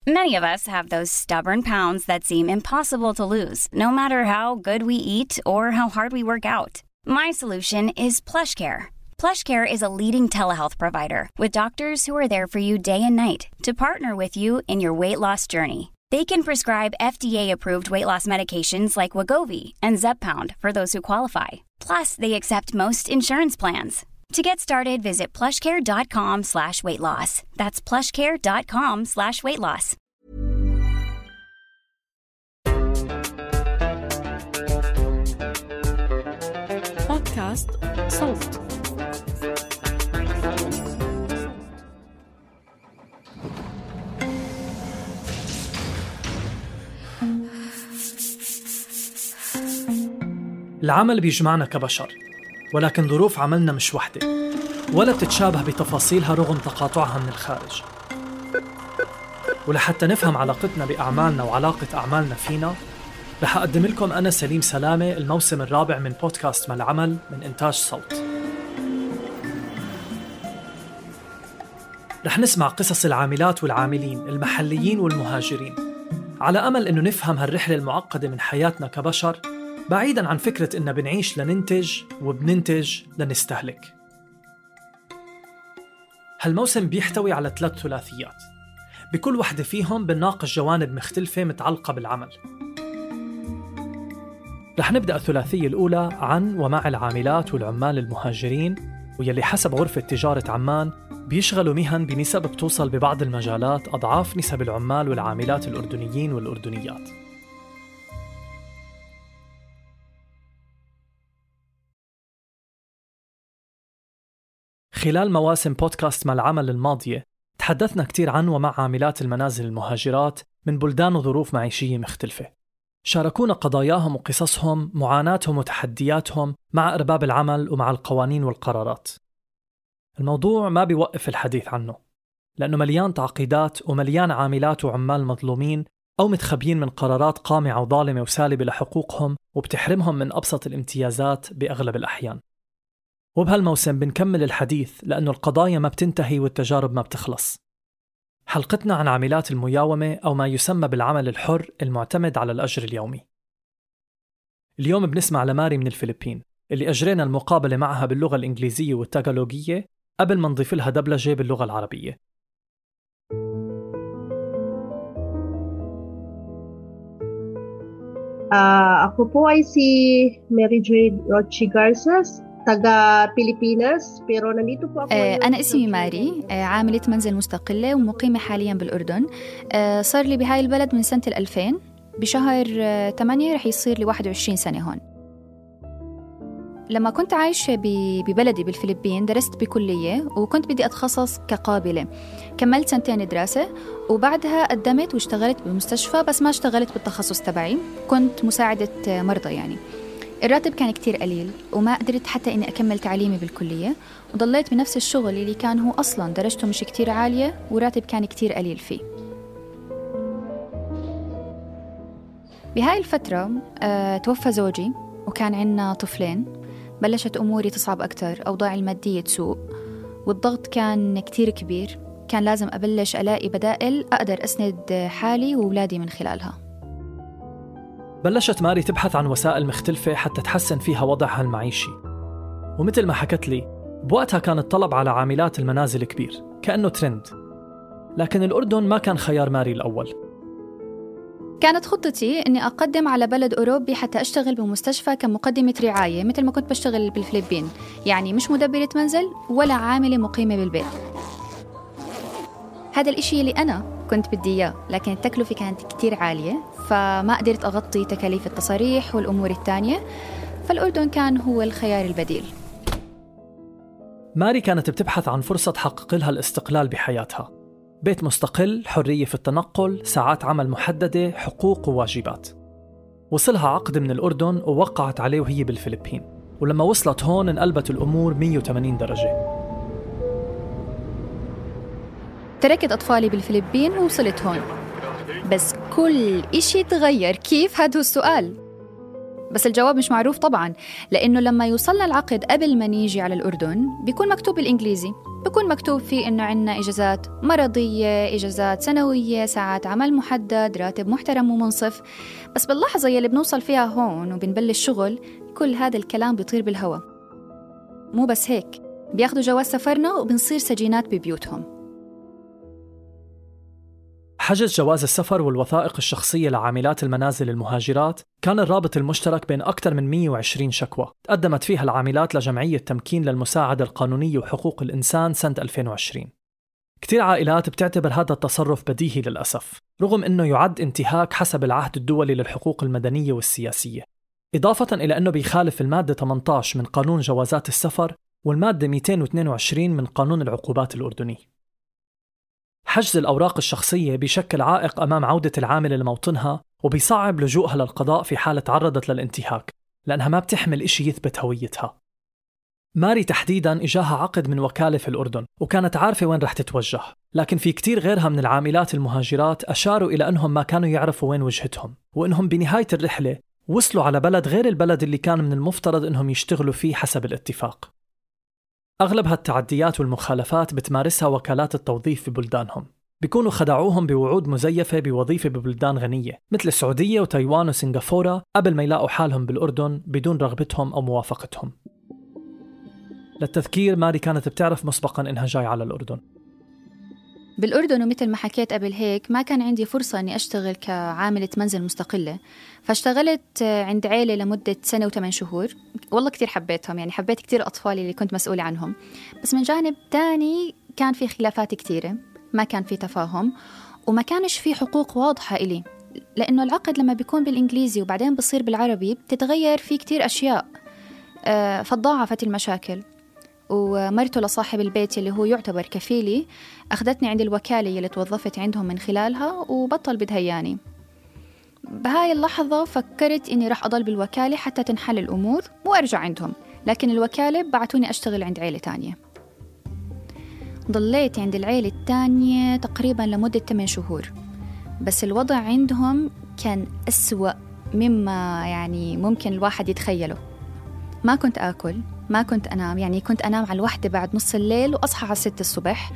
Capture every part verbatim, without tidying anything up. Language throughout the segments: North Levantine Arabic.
Many of us have those stubborn pounds that seem impossible to lose, no matter how good we eat or how hard we work out. My solution is PlushCare. PlushCare is a leading telehealth provider with doctors who are there for you day and night to partner with you in your weight loss journey. They can prescribe F D A-approved weight loss medications like Wegovy and Zepbound for those who qualify. Plus, they accept most insurance plans. To get started, visit plushcare.com slash weight loss. That's plushcare.com slash weight loss. بودكاست صوت. العمل بيجمعنا كبشر، ولكن ظروف عملنا مش وحدة ولا بتتشابه بتفاصيلها رغم تقاطعها من الخارج. ولحتى نفهم علاقتنا بأعمالنا وعلاقة أعمالنا فينا، رح أقدم لكم أنا سليم سلامة الموسم الرابع من بودكاست ما العمل من إنتاج صوت. رح نسمع قصص العاملات والعاملين المحليين والمهاجرين، على أمل إنه نفهم هالرحلة المعقدة من حياتنا كبشر، بعيداً عن فكرة إننا بنعيش لننتج وبننتج لنستهلك. هالموسم بيحتوي على ثلاث ثلاثيات، بكل واحدة فيهم بنناقش جوانب مختلفة متعلقة بالعمل. رح نبدأ الثلاثية الأولى عن ومع العاملات والعمال المهاجرين، ويلي حسب غرفة تجارة عمان بيشغلوا مهن بنسب بتوصل ببعض المجالات أضعاف نسب العمال والعاملات الأردنيين والأردنيات. خلال مواسم بودكاست ما العمل الماضية تحدثنا كتير عن ومع عاملات المنازل المهاجرات من بلدان وظروف معيشية مختلفة. شاركونا قضاياهم وقصصهم، معاناتهم وتحدياتهم مع أرباب العمل ومع القوانين والقرارات. الموضوع ما بيوقف الحديث عنه، لأنه مليان تعقيدات ومليان عاملات وعمال مظلومين أو متخبيين من قرارات قامعة وظالمة وسالبة لحقوقهم وبتحرمهم من أبسط الامتيازات بأغلب الأحيان. وبهالموسم بنكمل الحديث لأنه القضايا ما بتنتهي والتجارب ما بتخلص. حلقتنا عن عاملات المياومة أو ما يسمى بالعمل الحر المعتمد على الأجر اليومي. اليوم بنسمع لماري من الفلبين اللي أجرينا المقابلة معها باللغة الإنجليزية والتاغالوجية قبل ما نضيف لها دبلجة باللغة العربية. Uh, ako po ay si Mary Jade Rochi Garces, taga Pilipinas, pero nandito po ako. أنا اسمي ماري، عاملة منزل مستقلة ومقيمة حالياً بالأردن. صار لي بهاي البلد من سنة الألفين، بشهر ثمانية رح يصير لي واحد وعشرين سنة هون. لما كنت عايشة ببلدي بالفلبين درست بكلية وكنت بدي أتخصص كقابلة. كملت سنتين دراسة وبعدها قدمت واشتغلت بمستشفى، بس ما اشتغلت بالتخصص تبعي، كنت مساعدة مرضى يعني. الراتب كان كتير قليل وما قدرت حتى إني أكمل تعليمي بالكلية، وضليت بنفس الشغل اللي كان هو أصلاً درجته مش كتير عالية وراتب كان كتير قليل فيه. بهاي الفترة أه توفى زوجي وكان عنا طفلين. بلشت أموري تصعب أكتر، أوضاعي المادية تسوء والضغط كان كتير كبير. كان لازم أبلش ألاقي بدائل أقدر أسند حالي وولادي من خلالها. بلشت ماري تبحث عن وسائل مختلفة حتى تحسن فيها وضعها المعيشي، ومثل ما حكت لي بوقتها كان الطلب على عاملات المنازل كبير كأنه ترند، لكن الأردن ما كان خيار ماري الأول. كانت خطتي إني أقدم على بلد أوروبي حتى أشتغل بمستشفى كمقدمة رعاية مثل ما كنت بشتغل بالفلبين، يعني مش مدبرة منزل ولا عاملة مقيمة بالبيت. هذا الإشي اللي أنا كنت بدي إياه، لكن التكلفة كانت كتير عالية فما قدرت أغطي تكاليف التصاريح والأمور التانية، فالأردن كان هو الخيار البديل. ماري كانت بتبحث عن فرصة تحقق لها الاستقلال بحياتها، بيت مستقل، حرية في التنقل، ساعات عمل محددة، حقوق وواجبات. وصلها عقد من الأردن ووقعت عليه وهي بالفلبين، ولما وصلت هون انقلبت الأمور مية وثمانين درجة. تركت أطفالي بالفلبين ووصلت هون، بس كل إشي تغير. كيف؟ هذا هو السؤال. بس الجواب مش معروف طبعاً، لأنه لما يوصلنا العقد قبل ما نيجي على الأردن بيكون مكتوب بالإنجليزي، بيكون مكتوب فيه إنه عنا إجازات مرضية، إجازات سنوية، ساعات عمل محدد، راتب محترم ومنصف. بس باللحظة يلي بنوصل فيها هون وبنبلش شغل، كل هذا الكلام بيطير بالهواء. مو بس هيك، بياخدوا جواز سفرنا وبنصير سجينات ببيوتهم. حجز جواز السفر والوثائق الشخصية لعاملات المنازل المهاجرات كان الرابط المشترك بين أكثر من مئة وعشرين شكوى تقدمت فيها العاملات لجمعية تمكين للمساعدة القانونية وحقوق الإنسان سنة ألفين وعشرين. كتير عائلات بتعتبر هذا التصرف بديهي للأسف، رغم أنه يعد انتهاك حسب العهد الدولي للحقوق المدنية والسياسية، إضافة إلى أنه بيخالف المادة ثمانية عشر من قانون جوازات السفر والمادة مئتين واثنين وعشرين من قانون العقوبات الأردني. حجز الأوراق الشخصية بيشكل عائق أمام عودة العاملة لموطنها، وبيصعب لجوءها للقضاء في حالة تعرضت للانتهاك، لأنها ما بتحمل إشي يثبت هويتها. ماري تحديداً إجاها عقد من وكالة في الأردن وكانت عارفة وين رح تتوجه، لكن في كتير غيرها من العاملات المهاجرات أشاروا إلى أنهم ما كانوا يعرفوا وين وجهتهم، وأنهم بنهاية الرحلة وصلوا على بلد غير البلد اللي كان من المفترض أنهم يشتغلوا فيه حسب الاتفاق. أغلب هالتعديات والمخالفات بتمارسها وكالات التوظيف في بلدانهم، بيكونوا خدعوهم بوعود مزيفة بوظيفة ببلدان غنية مثل السعودية وتايوان وسنغافورة قبل ما يلاقوا حالهم بالأردن بدون رغبتهم أو موافقتهم. للتذكير، ماري كانت بتعرف مسبقاً إنها جاي على الأردن. بالأردن ومثل ما حكيت قبل هيك ما كان عندي فرصة أني أشتغل كعاملة منزل مستقلة، فاشتغلت عند عيلة لمدة سنة وثمان شهور. والله كتير حبيتهم، يعني حبيت كتير أطفالي اللي كنت مسؤولة عنهم. بس من جانب تاني كان في خلافات كتيرة، ما كان في تفاهم، وما كانش في حقوق واضحة إلي، لأنه العقد لما بيكون بالإنجليزي وبعدين بصير بالعربي بتتغير فيه كتير أشياء. أه فتضاعفت المشاكل، ومرته لصاحب البيت اللي هو يعتبر كفيلي أخذتني عند الوكالة اللي توظفت عندهم من خلالها وبطل بدهياني. بهاي اللحظة فكرت إني رح أضل بالوكالة حتى تنحل الأمور وأرجع عندهم، لكن الوكالة بعتوني أشتغل عند عيلة تانية. ضليت عند العيلة التانية تقريباً لمدة ثمان شهور، بس الوضع عندهم كان أسوأ مما يعني ممكن الواحد يتخيله. ما كنت آكل، ما كنت أنام، يعني كنت أنام على الوحدة بعد نص الليل وأصحى على ستة الصبح،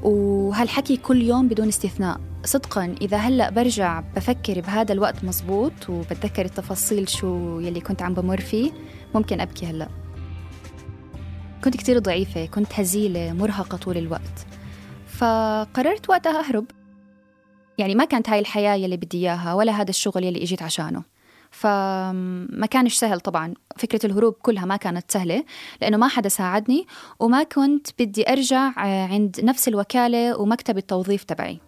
وهالحكي كل يوم بدون استثناء. صدقاً إذا هلأ برجع بفكر بهذا الوقت مزبوط وبتذكر التفاصيل شو يلي كنت عم بمر فيه ممكن أبكي هلأ. كنت كتير ضعيفة، كنت هزيلة، مرهقة طول الوقت، فقررت وقتها أهرب. يعني ما كانت هاي الحياة يلي بدي إياها ولا هذا الشغل يلي إجيت عشانه، فما كانش سهل. طبعا فكرة الهروب كلها ما كانت سهلة لأنه ما حدا ساعدني، وما كنت بدي أرجع عند نفس الوكالة ومكتب التوظيف تبعي.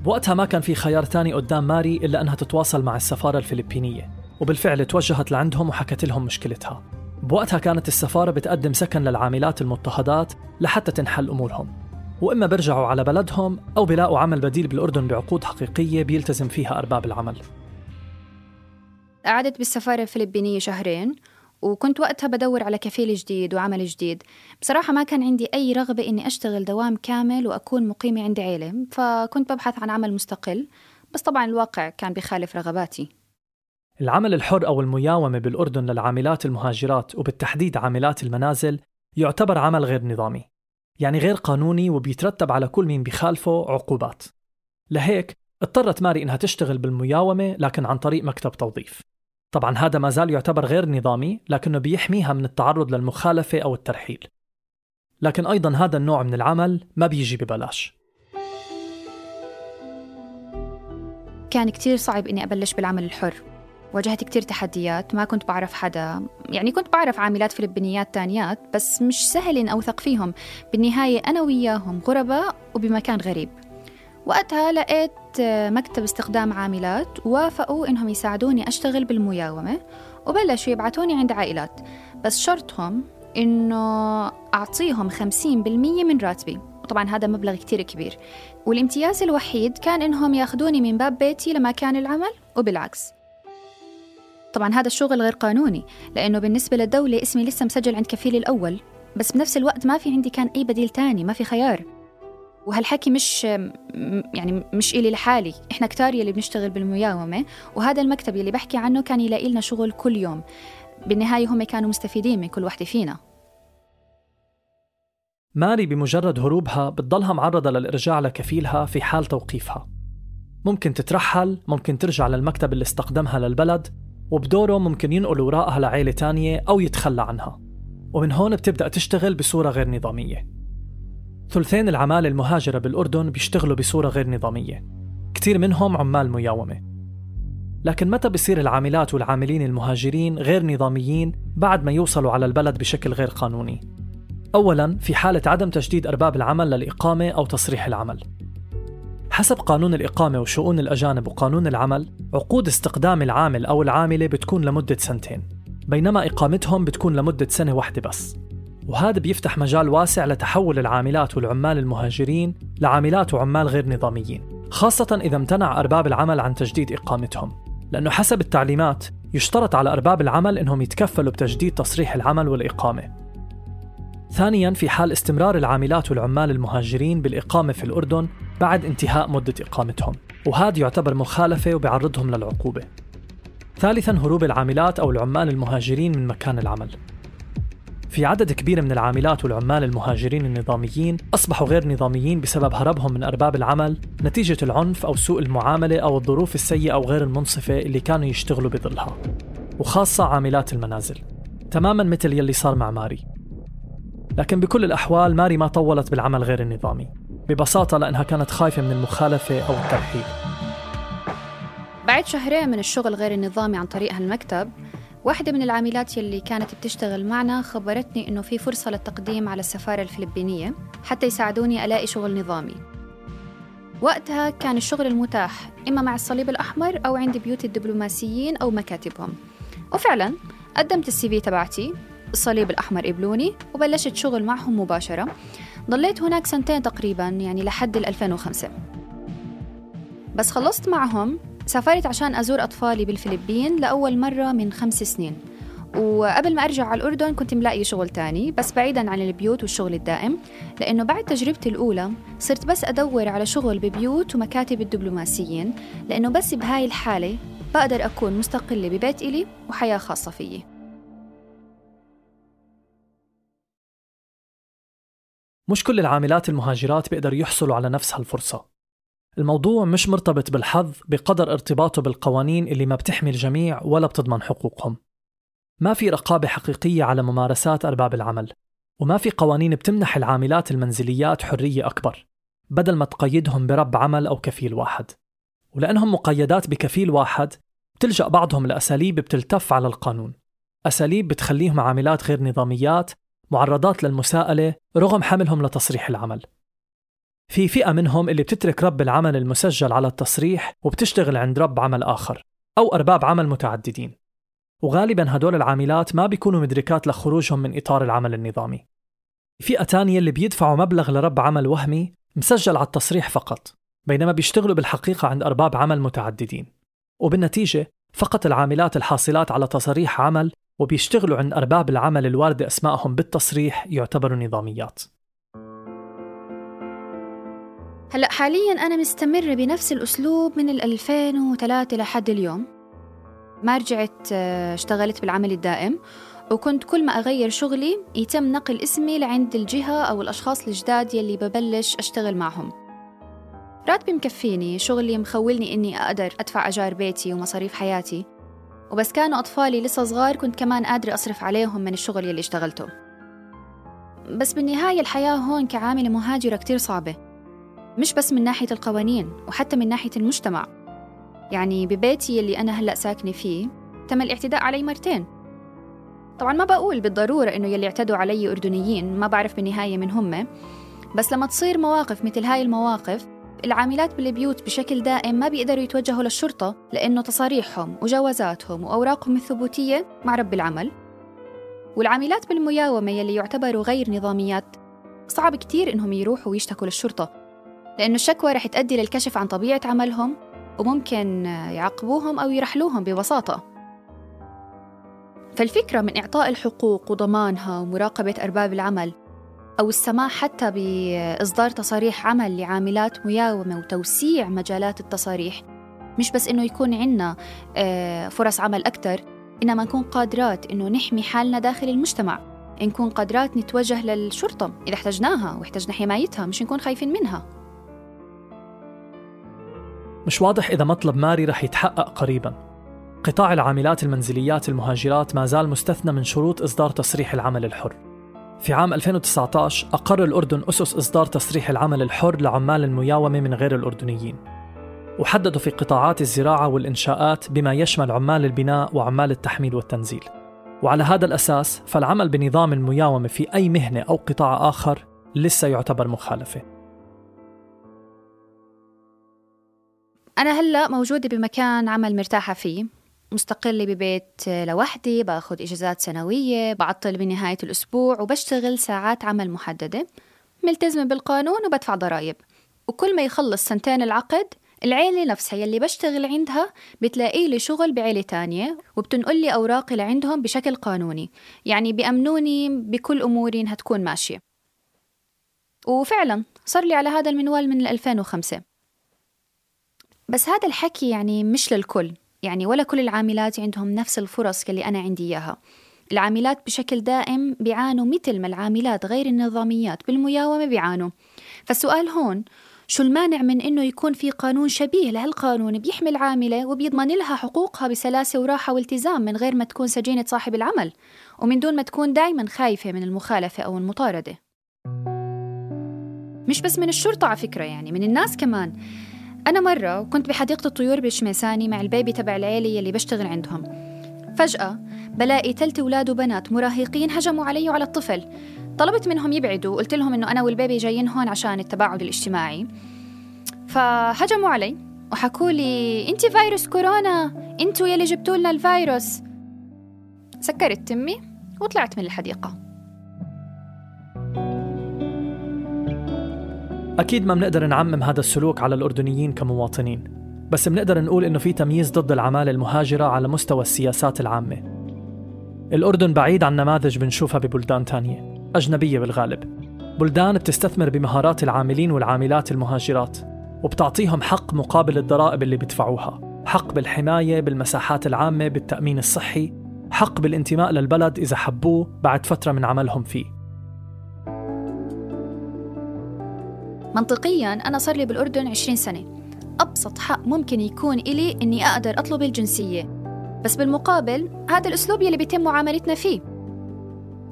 بوقتها ما كان في خيار تاني قدام ماري إلا أنها تتواصل مع السفارة الفلبينية، وبالفعل توجهت لعندهم وحكت لهم مشكلتها. بوقتها كانت السفارة بتقدم سكن للعاملات المضطهدات لحتى تنحل أمورهم، وإما برجعوا على بلدهم أو بلاقوا عمل بديل بالأردن بعقود حقيقية بيلتزم فيها أرباب العمل. قعدت بالسفارة الفلبينية شهرين، وكنت وقتها بدور على كفيل جديد وعمل جديد. بصراحة ما كان عندي أي رغبة إني أشتغل دوام كامل وأكون مقيمة عند عيلة، فكنت ببحث عن عمل مستقل، بس طبعا الواقع كان بيخالف رغباتي. العمل الحر أو المياومة بالأردن للعاملات المهاجرات وبالتحديد عاملات المنازل يعتبر عمل غير نظامي، يعني غير قانوني، وبيترتب على كل مين بيخالفه عقوبات. لهيك اضطرت ماري إنها تشتغل بالمياومة لكن عن طريق مكتب توظيف. طبعا هذا ما زال يعتبر غير نظامي، لكنه بيحميها من التعرض للمخالفة أو الترحيل. لكن أيضا هذا النوع من العمل ما بيجي ببلاش. كان كتير صعب إني أبلش بالعمل الحر، واجهت كتير تحديات، ما كنت بعرف حدا. يعني كنت بعرف عاملات فلبينيات تانيات بس مش سهل إن أوثق فيهم. بالنهاية أنا وياهم غرباء وبمكان غريب. وقتها لقيت مكتب استخدام عاملات ووافقوا إنهم يساعدوني أشتغل بالمياومة، وبلشوا يبعتوني عند عائلات، بس شرطهم إنه أعطيهم خمسين بالمية من راتبي، وطبعا هذا مبلغ كتير كبير. والامتياز الوحيد كان إنهم ياخدوني من باب بيتي لمكان العمل وبالعكس. طبعا هذا الشغل غير قانوني لأنه بالنسبة للدولة اسمي لسه مسجل عند كفيلي الأول، بس بنفس الوقت ما في عندي كان أي بديل تاني، ما في خيار. وهالحكي مش يعني مش إلي لحالي، إحنا كتار يلي بنشتغل بالمياومة، وهذا المكتب يلي بحكي عنه كان يلاقي لنا شغل كل يوم. بالنهاية هم كانوا مستفيدين من كل واحدة فينا. ماري بمجرد هروبها بتضلها معرضة للإرجاع لكفيلها في حال توقيفها. ممكن تترحل، ممكن ترجع للمكتب اللي استخدمها للبلد، وبدوره ممكن ينقل وراءها لعائلة تانية أو يتخلى عنها، ومن هون بتبدأ تشتغل بصورة غير نظامية. ثلثين العمالة المهاجرة بالأردن بيشتغلوا بصورة غير نظامية، كتير منهم عمال مياومة. لكن متى بيصير العاملات والعاملين المهاجرين غير نظاميين بعد ما يوصلوا على البلد بشكل غير قانوني؟ أولاً في حالة عدم تجديد أرباب العمل للإقامة أو تصريح العمل. حسب قانون الإقامة وشؤون الأجانب وقانون العمل، عقود استقدام العامل أو العاملة بتكون لمدة سنتين، بينما إقامتهم بتكون لمدة سنة واحدة بس. وهذا بيفتح مجال واسع لتحول العاملات والعمال المهاجرين لعاملات وعمال غير نظاميين، خاصة إذا امتنع أرباب العمل عن تجديد إقامتهم، لأنه حسب التعليمات يشترط على أرباب العمل إنهم يتكفلوا بتجديد تصريح العمل والإقامة. ثانياً في حال استمرار العاملات والعمال المهاجرين بالإقامة في الأردن بعد انتهاء مدة إقامتهم، وهذا يعتبر مخالفة وبيعرضهم للعقوبة. ثالثاً هروب العاملات أو العمال المهاجرين من مكان العمل. في عدد كبير من العاملات والعمال المهاجرين النظاميين أصبحوا غير نظاميين بسبب هربهم من أرباب العمل نتيجة العنف أو سوء المعاملة أو الظروف السيئة أو غير المنصفة اللي كانوا يشتغلوا بظلها، وخاصة عاملات المنازل، تماماً مثل يلي صار مع ماري. لكن بكل الأحوال ماري ما طولت بالعمل غير النظامي، ببساطة لأنها كانت خايفة من المخالفة أو الترحيل. بعد شهرين من الشغل غير النظامي عن طريق هالمكتب، واحدة من العاملات يلي كانت بتشتغل معنا خبرتني إنه في فرصة للتقديم على السفارة الفلبينية حتى يساعدوني ألاقي شغل نظامي. وقتها كان الشغل المتاح إما مع الصليب الأحمر أو عند بيوت الدبلوماسيين أو مكاتبهم، وفعلاً قدمت السي في تبعتي، الصليب الأحمر قبلوني وبلشت شغل معهم مباشرة. ضليت هناك سنتين تقريباً، يعني لحد ألفين وخمسة. بس خلصت معهم سافرت عشان أزور أطفالي بالفلبين لأول مرة من خمس سنين، وقبل ما أرجع على الأردن كنت ملاقي شغل تاني بس بعيداً عن البيوت والشغل الدائم، لأنه بعد تجربتي الأولى صرت بس أدور على شغل ببيوت ومكاتب الدبلوماسيين، لأنه بس بهاي الحالة بقدر أكون مستقلة ببيت إلي وحياة خاصة فيي. مش كل العاملات المهاجرات بيقدروا يحصلوا على نفس هالفرصة. الموضوع مش مرتبط بالحظ بقدر ارتباطه بالقوانين اللي ما بتحمي الجميع ولا بتضمن حقوقهم. ما في رقابة حقيقية على ممارسات أرباب العمل، وما في قوانين بتمنح العاملات المنزليات حرية أكبر بدل ما تقيدهم برب عمل أو كفيل واحد. ولأنهم مقيدات بكفيل واحد بتلجأ بعضهم لأساليب بتلتف على القانون، أساليب بتخليهم عاملات غير نظاميات معرضات للمساءلة رغم حملهم لتصريح العمل. في فئة منهم اللي بتترك رب العمل المسجل على التصريح وبتشتغل عند رب عمل آخر أو أرباب عمل متعددين، وغالباً هدول العاملات ما بيكونوا مدركات لخروجهم من إطار العمل النظامي. فئة تانية اللي بيدفعوا مبلغ لرب عمل وهمي مسجل على التصريح فقط، بينما بيشتغلوا بالحقيقة عند أرباب عمل متعددين، وبالنتيجة فقط العاملات الحاصلات على تصريح عمل وبيشتغلوا عند أرباب العمل الواردة أسمائهم بالتصريح يعتبروا نظاميات. هلأ حالياً أنا مستمرة بنفس الأسلوب من الألفين وثلاثة لحد اليوم. ما رجعت اشتغلت بالعمل الدائم، وكنت كل ما أغير شغلي يتم نقل اسمي لعند الجهة أو الأشخاص الجداد يلي ببلش أشتغل معهم. راتبي مكفيني، شغلي مخولني إني أقدر أدفع أجار بيتي ومصاريف حياتي، وبس كانوا أطفالي لسه صغار كنت كمان قادرة أصرف عليهم من الشغل يلي اشتغلته. بس بالنهاية الحياة هون كعاملة مهاجرة كتير صعبة، مش بس من ناحية القوانين وحتى من ناحية المجتمع. يعني ببيتي يلي أنا هلأ ساكنة فيه تم الاعتداء علي مرتين. طبعاً ما بقول بالضرورة إنه يلي اعتدوا علي أردنيين، ما بعرف بالنهاية من هم، بس لما تصير مواقف مثل هاي المواقف العاملات بالبيوت بشكل دائم ما بيقدروا يتوجهوا للشرطة، لأنه تصاريحهم وجوازاتهم وأوراقهم الثبوتية مع رب العمل. والعاملات بالمياومة يلي يعتبروا غير نظاميات صعب كتير إنهم يروحوا ويشتكوا للشرطة، لأنه الشكوى رح تؤدي للكشف عن طبيعة عملهم وممكن يعاقبوهم أو يرحلوهم ببساطة. فالفكرة من إعطاء الحقوق وضمانها ومراقبة أرباب العمل أو السماح حتى بإصدار تصاريح عمل لعاملات مياومة وتوسيع مجالات التصاريح، مش بس إنه يكون عنا فرص عمل أكتر، إنما نكون قادرات إنه نحمي حالنا داخل المجتمع، نكون قادرات نتوجه للشرطة إذا احتجناها واحتجنا حمايتها، مش نكون خايفين منها. مش واضح إذا مطلب ماري رح يتحقق قريباً. قطاع العاملات المنزليات المهاجرات ما زال مستثنى من شروط إصدار تصريح العمل الحر. في عام ألفين وتسعة عشر أقر الأردن أسس إصدار تصريح العمل الحر لعمال المياومة من غير الأردنيين، وحددوا في قطاعات الزراعة والإنشاءات بما يشمل عمال البناء وعمال التحميل والتنزيل. وعلى هذا الأساس فالعمل بنظام المياومة في أي مهنة أو قطاع آخر لسه يعتبر مخالفة. أنا هلأ موجودة بمكان عمل مرتاحة فيه، مستقلة ببيت لوحدي، باخد إجازات سنوية، بعطل بنهاية الأسبوع، وبشتغل ساعات عمل محددة، ملتزمة بالقانون وبدفع ضرائب. وكل ما يخلص سنتين العقد، العيلة نفسها يلي بشتغل عندها بتلاقي لي شغل بعيلة تانية، وبتنقل لي أوراقي لعندهم بشكل قانوني، يعني بيأمنوني بكل أموري إنها تكون ماشية. وفعلا صار لي على هذا المنوال من ألفين وخمسة. بس هذا الحكي يعني مش للكل، يعني ولا كل العاملات عندهم نفس الفرص اللي أنا عندي إياها. العاملات بشكل دائم بيعانوا مثل ما العاملات غير النظاميات بالمياومة بيعانوا. فالسؤال هون، شو المانع من إنه يكون في قانون شبيه لهالقانون بيحمي العاملة وبيضمن لها حقوقها بسلاسة وراحة والتزام، من غير ما تكون سجينة صاحب العمل، ومن دون ما تكون دايما خايفة من المخالفة أو المطاردة. مش بس من الشرطة على فكرة، يعني من الناس كمان. أنا مرة كنت بحديقة الطيور بالشميساني مع البيبي تبع العيلة اللي بشتغل عندهم، فجأة بلاقي ثلاث أولاد وبنات مراهقين هجموا علي وعلى الطفل. طلبت منهم يبعدوا، قلت لهم إنه أنا والبيبي جايين هون عشان التباعد الاجتماعي، فهجموا علي وحكوا لي أنت فيروس كورونا، أنتوا يلي جبتوا لنا الفيروس. سكرت تمي وطلعت من الحديقة. أكيد ما بنقدر نعمم هذا السلوك على الأردنيين كمواطنين، بس بنقدر نقول إنه في تمييز ضد العمالة المهاجرة على مستوى السياسات العامة. الأردن بعيد عن نماذج بنشوفها ببلدان تانية أجنبية بالغالب، بلدان بتستثمر بمهارات العاملين والعاملات المهاجرات وبتعطيهم حق مقابل الضرائب اللي بيدفعوها، حق بالحماية بالمساحات العامة، بالتأمين الصحي، حق بالانتماء للبلد إذا حبوه بعد فترة من عملهم فيه. منطقياً أنا صار لي بالأردن عشرين سنة، أبسط حق ممكن يكون إلي إني أقدر أطلب الجنسية، بس بالمقابل هذا الأسلوب يلي بيتم معاملتنا فيه.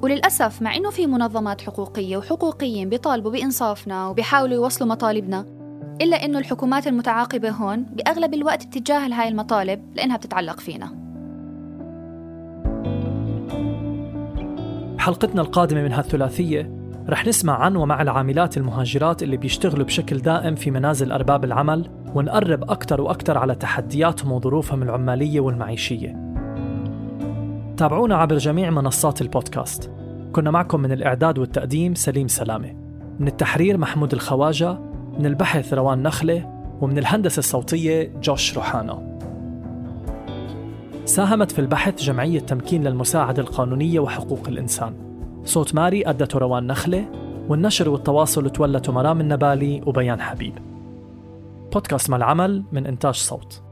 وللأسف مع إنه في منظمات حقوقية وحقوقيين بيطالبوا بإنصافنا وبيحاولوا يوصلوا مطالبنا، إلا إنه الحكومات المتعاقبة هون بأغلب الوقت بتتجاهل هاي المطالب لأنها بتتعلق فينا. بحلقتنا القادمة من هالثلاثية رح نسمع عن ومع العاملات المهاجرات اللي بيشتغلوا بشكل دائم في منازل أرباب العمل، ونقرب أكتر وأكتر على تحدياتهم وظروفهم العمالية والمعيشية. تابعونا عبر جميع منصات البودكاست. كنا معكم من الإعداد والتقديم سليم سلامة، من التحرير محمود الخواجة، من البحث روان نخلة، ومن الهندسة الصوتية جوش روحانا. ساهمت في البحث جمعية تمكين للمساعدة القانونية وحقوق الإنسان. صوت ماري أدته روان نخلة، والنشر والتواصل تولته مرام النبالي وبيان حبيب. بودكاست مع العمل من إنتاج صوت.